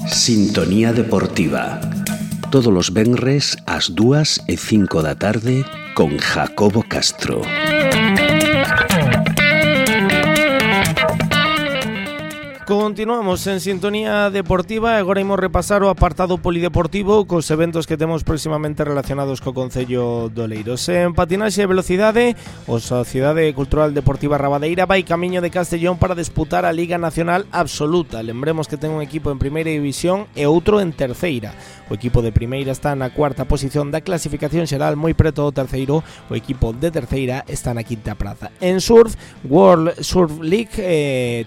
Sintonía Deportiva. Todos os venres ás 2:05 da tarde con Jacobo Castro. Continuamos en Sintonía Deportiva e agora imos repasar o apartado polideportivo cos eventos que temos próximamente relacionados co Concello de Oleiros. En patinaxe e velocidade, a Sociedade Cultural Deportiva Rabadeira vai camiño de Castellón para disputar a Liga Nacional Absoluta. Lembremos que ten un equipo en primeira división e outro en terceira. O equipo de primeira está na cuarta posición da clasificación xeral, moi preto do terceiro. O equipo de terceira está na quinta praza. En surf, World Surf League,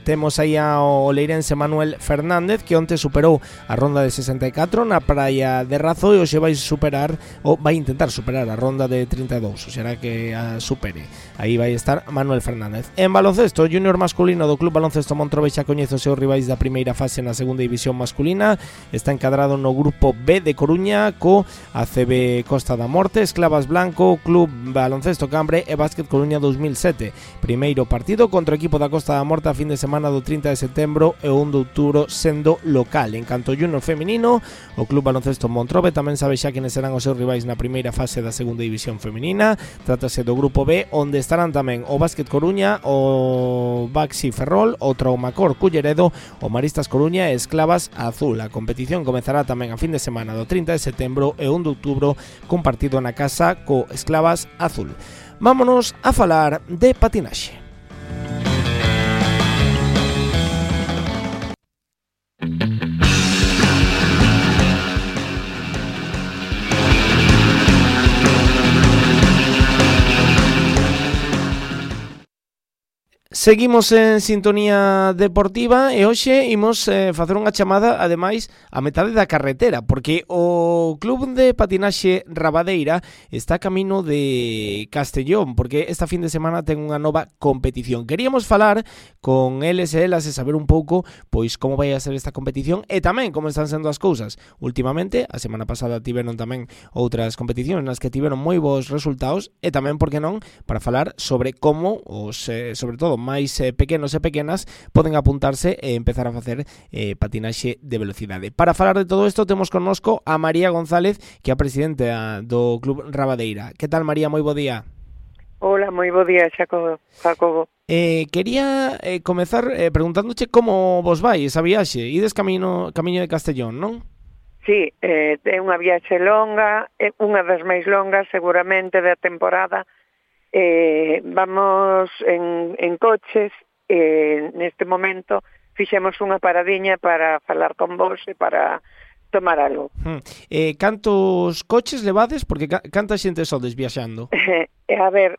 temos aí ao leirense Manuel Fernández, que onte superou a ronda de 64 na praia de Razo e hoxe vai intentar superar a ronda de 32, ou será que a supere. Aí vai estar Manuel Fernández. En baloncesto, o junior masculino do Club Baloncesto Montrobe xa coñece os seus rivais da primeira fase na segunda división masculina. Está encadrado no grupo B de Coruña co ACB Costa da Morte, Esclavas Blanco, Club Baloncesto Cambre e Básquet Coruña 2007. Primeiro partido contra o equipo da Costa da Morte a fin de semana do 30 de setembro e o 1 de outubro sendo local. En canto ao junior feminino, o Club Baloncesto Montrobe tamén sabe xa quenes serán os seus rivais na primeira fase da segunda división feminina. Trátase do grupo B, onde estarán tamén o Básquet Coruña, o Baxi Ferrol, o Traumacor Culleredo, o Maristas Coruña e Esclavas Azul. A competición comezará tamén a fin de semana do 30 de setembro e 1 de outubro con partido na casa co Esclavas Azul. Vámonos a falar de patinaxe. Seguimos en Sintonía Deportiva e hoxe imos facer unha chamada, ademais, a metade da carretera, porque o Club de Patinaxe Rabadeira está camino de Castellón, porque esta fin de semana ten unha nova competición. Queríamos falar con eles e elas e saber un pouco pois como vai a ser esta competición e tamén como están sendo as cousas. Últimamente, a semana pasada tiveron tamén outras competicións nas que tiveron moi bons resultados e tamén, por que non, para falar sobre como os, sobre todo, máis pequenos e pequenas poden apuntarse e empezar a facer patinaxe de velocidade. Para falar de todo isto temos connosco a María González, que é a presidenta do Club Rabadeira. Que tal, María? Moi bo día. Hola, moi bo día, Jacobo. Quería comezar preguntándoche como vos vai esa viaxe. Ides camiño de Castellón, non? Sí, é unha viaxe longa, unha das máis longas seguramente da temporada. Vamos en coches, neste momento fixemos unha paradiña para falar con vos e para tomar algo. Cantos coches levades? Porque canta xente sodes viaxando? A ver,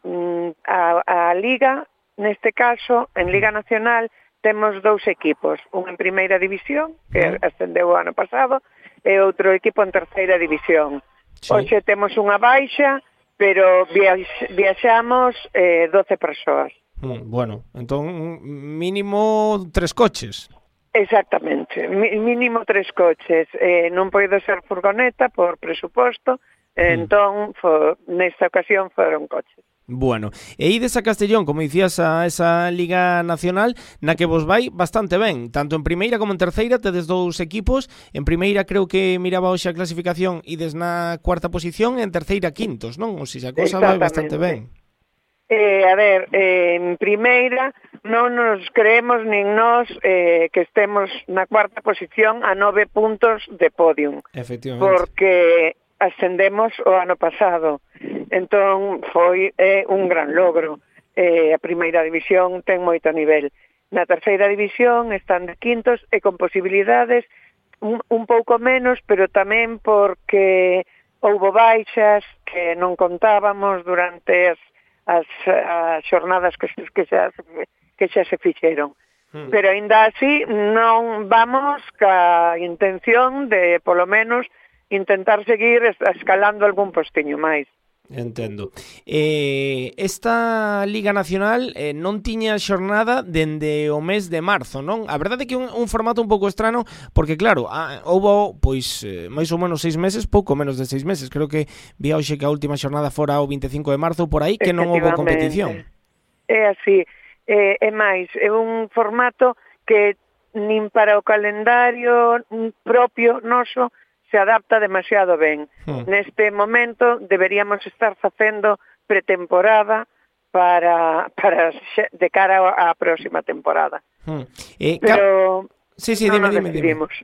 a Liga, neste caso, en Liga Nacional, temos dous equipos, un en primeira división, que ascendeu o ano pasado, e outro equipo en terceira división. Sí. Hoxe temos unha baixa, pero viaxamos 12 persoas. Bueno, entón mínimo 3 coches. Exactamente, mínimo 3 coches. Non poido ser furgoneta por presuposto, entón nesta ocasión foron coches. Bueno, e ides a Castellón, como dicías, a esa Liga Nacional na que vos vai bastante ben, tanto en primeira como en terceira, tedes dous equipos. En primeira creo que miraba hoxe a clasificación, ides na cuarta posición, e en terceira quintos, non? Ou se a cousa vai bastante ben. A ver, en primeira non nos creemos nin nós que estemos na cuarta posición a 9 puntos de podium. Efectivamente. Porque ascendemos o ano pasado. Entón foi un gran logro. A primeira división ten moito nivel. Na terceira división están de quintos e con posibilidades un pouco menos, pero tamén porque houbo baixas que non contábamos durante as xornadas que xa se fixeron. Pero aínda así non vamos ca intención de, polo menos, intentar seguir escalando algún postiño máis. Entendo. Esta Liga Nacional non tiña xornada dende o mes de marzo, non? A verdade é que un formato un pouco estrano, porque claro, houbo pois máis ou menos 6 meses, pouco menos de 6 meses. Creo que vi hoxe que a última xornada fora o 25 de marzo, por aí, que non houbo competición. É así, é máis, é un formato que nin para o calendario propio noso se adapta demasiado ben. Neste momento deberíamos estar facendo pretemporada para de cara á próxima temporada. Pero sí, dime.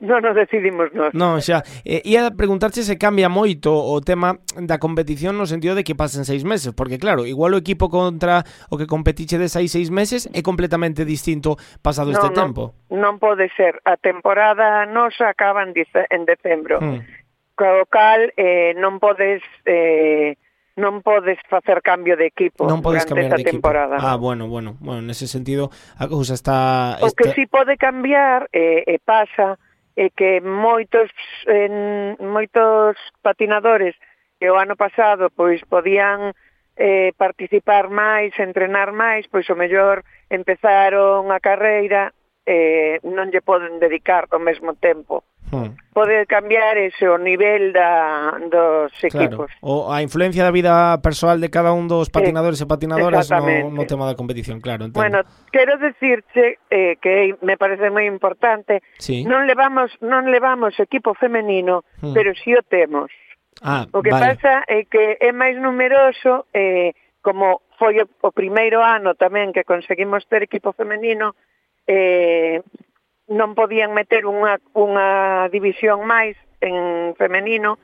Non nos decidimos nós. Non, xa. Ia preguntarche se cambia moito o tema da competición no sentido de que pasen 6 meses, porque claro, igual o equipo contra o que competiche de 6 meses é completamente distinto pasado este tempo. Non pode ser. A temporada nosa acaba en decembro. Co cal non podes facer cambio de equipo durante esa temporada. Bueno, nese sentido a cousa está... O que si pode cambiar pasa que moitos patinadores que o ano pasado pois podían participar máis, entrenar máis, pois o mellor empezaron a carreira non lle poden dedicar ao mesmo tempo. Pode cambiar ese o nivel dos equipos. Claro. A influencia da vida persoal de cada un dos patinadores e patinadoras no tema da competición, claro. Entendo. Bueno, quero decirche que me parece moi importante. Sí. Non levamos equipo femenino, pero si o temos. O que pasa é que é máis numeroso, como foi o primeiro ano tamén que conseguimos ter equipo femenino, non podían meter unha división máis en femenino,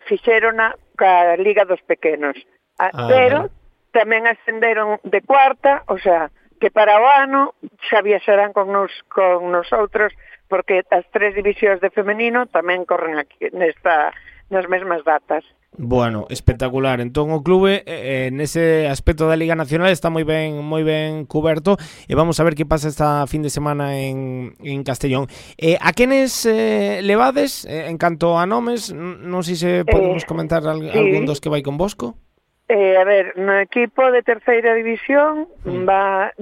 fixérona ca Liga dos Pequenos. Pero tamén ascenderon de cuarta, o sea, que para o ano xa viaxarán con nosotros, porque as 3 divisións de femenino tamén corren aquí nas mesmas datas. Bueno, espectacular. Entón o clube nese aspecto da Liga Nacional está moi ben cuberto e vamos a ver que pasa esta fin de semana en Castellón. A quenes levades en canto a nomes? Non sei se podemos comentar algún dos que vai convosco. A ver, no equipo de terceira división van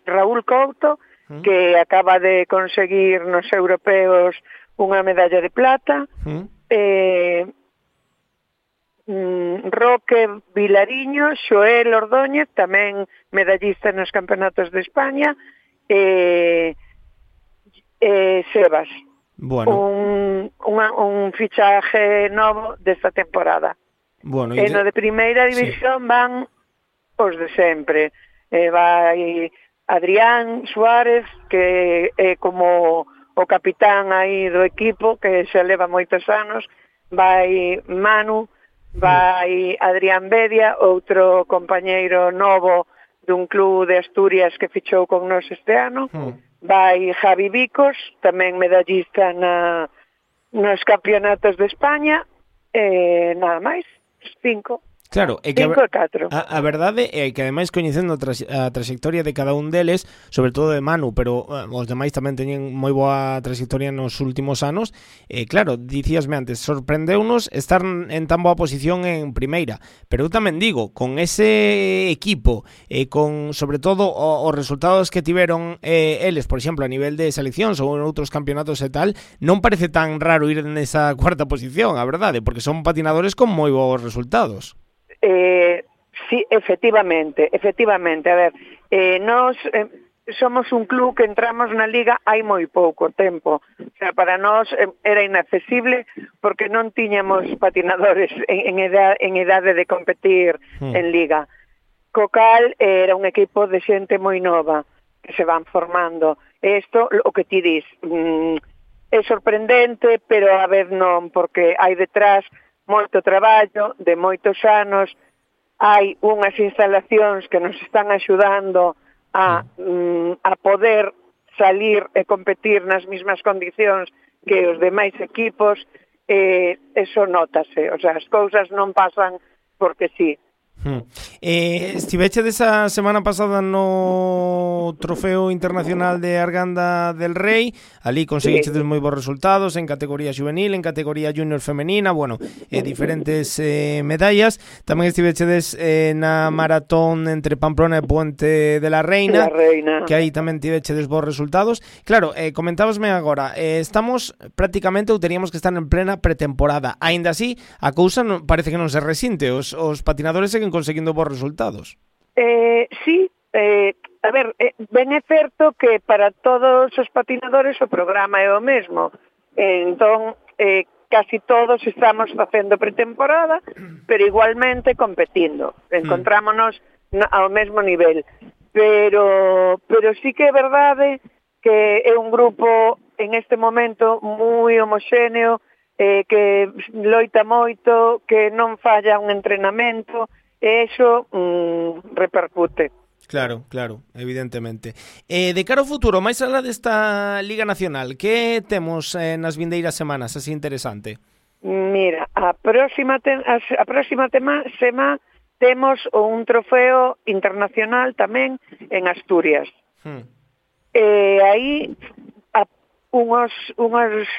Raúl Couto, que acaba de conseguir nos europeos unha medalla de plata, Roque Vilariño, Xoel Ordóñez, tamén medallista nos campeonatos de España, Sebas, un fichaje novo desta temporada. E no de primeira división van os de sempre. Vai Adrián Suárez, que é como o capitán aí do equipo, que xa leva moitos anos, vai Manu, vai Adrián Bedia, outro compañeiro novo dun club de Asturias que fichou con nós este ano, vai Javi Vicos, tamén medallista nos campeonatos de España, nada máis, 5. Claro, é que a verdade é que ademais coñecendo a trayectoria de cada un deles, sobre todo de Manu, pero os demais tamén teñen moi boa trayectoria nos últimos anos, claro, dicíasme antes, sorprendeunos estar en tan boa posición en primeira, pero eu tamén digo, con ese equipo, con sobre todo os resultados que tiveron eles, por exemplo, a nivel de seleccións ou en outros campeonatos e tal, non parece tan raro ir nesa cuarta posición, a verdade, porque son patinadores con moi bons resultados. Sí, efectivamente. A ver, nós somos un club que entramos na liga hai moi pouco tempo. O sea, para nós era inaccesible porque non tiñamos patinadores en idade de competir en liga. Co cal era un equipo de xente moi nova que se van formando. Isto, o que ti dis, é sorprendente, pero a ver non, porque hai detrás moito traballo de moitos anos, hai unhas instalacións que nos están axudando a poder salir e competir nas mesmas condicións que os demais equipos, eso nótase, o sea, as cousas non pasan porque sí. Estiveche desa semana pasada no Trofeo Internacional de Arganda del Rei. Ali conseguiche moi bons resultados en categoría juvenil, en categoría junior femenina, bueno, diferentes medallas. Tamén estivechedes na maratón entre Pamplona e Puente de la Reina, que aí tamén tivechedes bons resultados. Claro, comentábasme agora, estamos prácticamente ou teríamos que estar en plena pretemporada. Aínda así, a cousa parece que non se resinte. Os patinadores seguen conseguindo bons resultados. Sí, a ver, ben é certo que para todos os patinadores o programa é o mesmo. Entón, casi todos estamos facendo pretemporada, pero igualmente competindo. Encontrámonos ao mesmo nivel. Pero sí que é verdade que é un grupo en este momento moi homoxéneo, que loita moito, que non falla un entrenamento, e iso repercute. Claro, evidentemente. De cara ao futuro, máis alá desta Liga Nacional, que temos nas vindeiras semanas, así interesante? Mira, a próxima semana temos un trofeo internacional tamén en Asturias. Aí unhos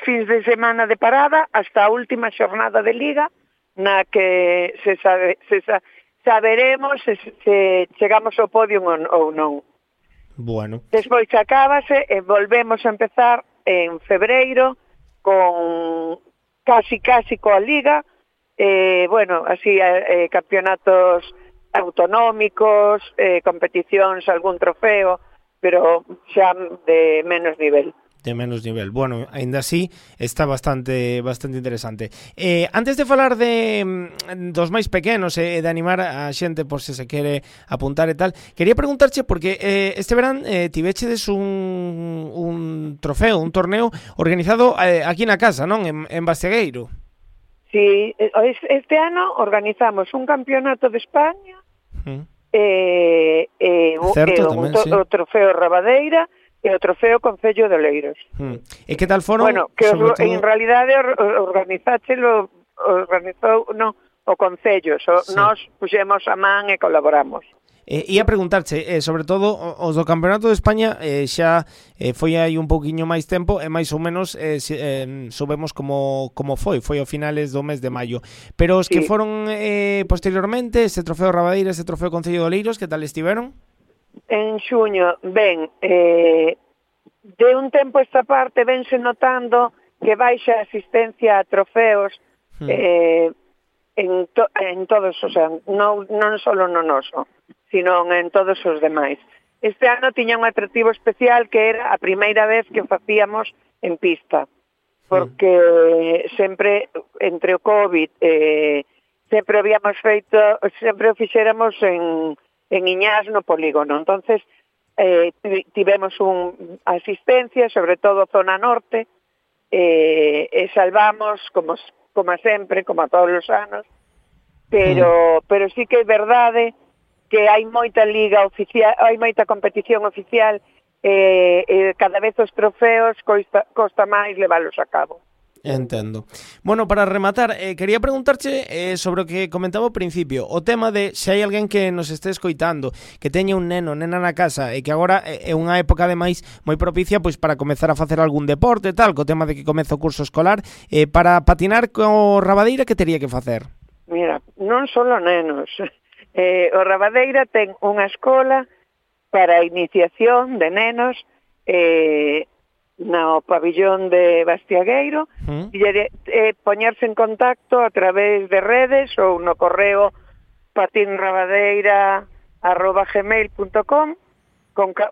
fins de semana de parada hasta a última xornada de Liga, na que saberemos se chegamos ao podio ou non. Bueno. Despois acábase e volvemos a empezar en febreiro con casi coa Liga, así campeonatos autonómicos, competicións, algún trofeo, pero xa de menos nivel. De menos nivel. Bueno, ainda así está bastante interesante. Antes de falar dos máis pequenos e de animar a xente por se quere apuntar e tal, quería preguntarche porque este verán tivechedes un trofeo, un torneo organizado aquí na casa, non? En Bastegueiro. Sí, este ano organizamos un campeonato de España, o trofeo Rabadeira e o trofeo Concello de Oleiros. E que tal foron? Bueno, que en realidade organizou o Concello, nós puxemos a man e colaboramos. Ia preguntarche, sobre todo, os do Campeonato de España xa foi aí un pouquiño máis tempo e máis ou menos soubemos como foi ao finales do mes de maio. Pero os que foron posteriormente, ese trofeo Rabadeira, ese trofeo Concello de Oleiros, que tal estiveron? En xuño, de un tempo esta parte vense notando que baixa asistencia a trofeos en todos, o sea, non só no noso, sino en todos os demais. Este ano tiña un atractivo especial que era a primeira vez que o facíamos en pista, porque sempre, entre o COVID, sempre o fixéramos en Iñás no polígono. Entonces tivemos asistencia, sobre todo zona norte, e salvamos como sempre, como a todos os anos, pero sí que é verdade que hai moita liga oficial, hai moita competición oficial, cada vez os trofeos costa máis leválos a cabo. Entendo. Bueno, para rematar, quería preguntarche sobre o que comentaba ao principio, o tema de se hai alguén que nos este escoitando, que teña un nena na casa e que agora é unha época ademais moi propicia pois para comezar a facer algún deporte tal, co tema de que comeza o curso escolar, para patinar co Rabadeira, que tería que facer? Mira, non só nenos. O Rabadeira ten unha escola para a iniciación de nenos no pabillón de Bastiagueiro, e poñerse en contacto a través de redes ou no correo patinrabadeira@gmail.com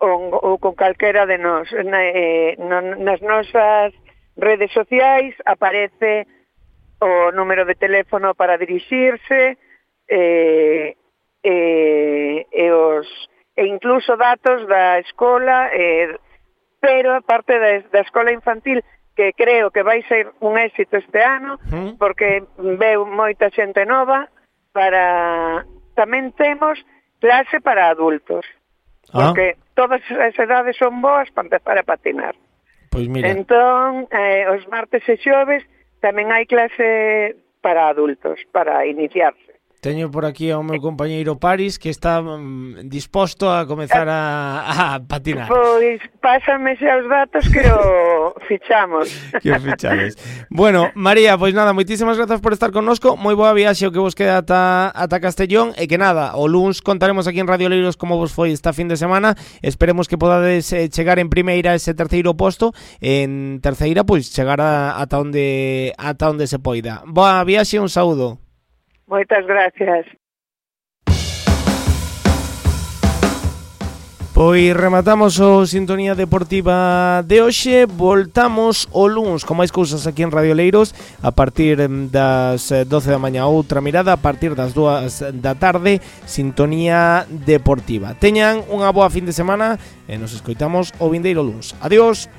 ou con calquera de nós. Nas nosas redes sociais aparece o número de teléfono para dirixirse e incluso datos da escola, pero aparte da escola infantil, que creo que vai ser un éxito este ano, porque veu moita xente nova, tamén temos clase para adultos, porque todas as edades son boas para empezar a patinar. Pois mira. Entón, os martes e xoves tamén hai clase para adultos, para iniciarse. Teño por aquí ao meu compañeiro Paris, que está disposto a comezar a patinar. Pois pásame xa os datos que o fichamos. Que o fichades. Bueno, María, pois nada, moitísimas grazas por estar connosco. Moi boa viaxe o que vos queda ata Castellón, e que nada, o luns contaremos aquí en Radio Oleiros como vos foi esta fin de semana. Esperemos que podades chegar en primeira ese terceiro posto, en terceira pois chegar ata onde se poida. Boa viaxe, un saúdo. Moitas gracias. Pois rematamos o Sintonía Deportiva de hoxe. Voltamos o luns con máis cousas aquí en Radio Oleiros a partir das 12 da mañá. Outra mirada a partir das 2 da tarde, Sintonía Deportiva. Teñan unha boa fin de semana e nos escoitamos o vindeiro luns. Adiós.